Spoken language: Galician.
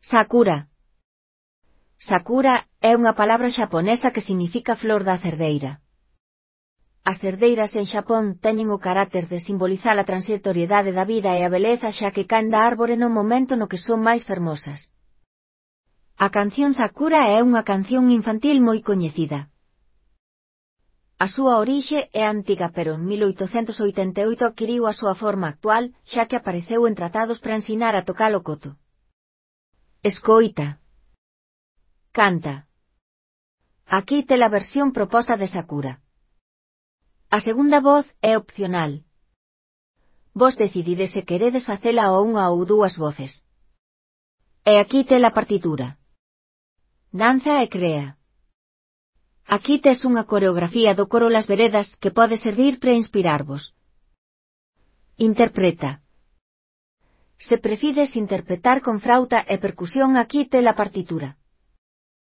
Sakura. Sakura é unha palabra xaponesa que significa flor da cerdeira. As cerdeiras en Xapón teñen o carácter de simbolizar a transitoriedade da vida e a beleza xa que caen da árbore no momento no que son máis fermosas. A canción Sakura é unha canción infantil moi coñecida. A súa orixe é antiga pero en 1888 adquiriu a súa forma actual xa que apareceu en tratados para ensinar a tocar o koto. Escoita. Canta. Aquí tes a versión proposta de Sakura. A segunda voz é opcional. Vos decidides se queredes facela a unha ou dúas voces. E aquí tes a partitura. Danza e crea. Aquí tes unha coreografía do coro Las Veredas que pode servir para inspirarvos. Interpreta. Se prefires interpretar con frauta e percusión aquí tes a partitura.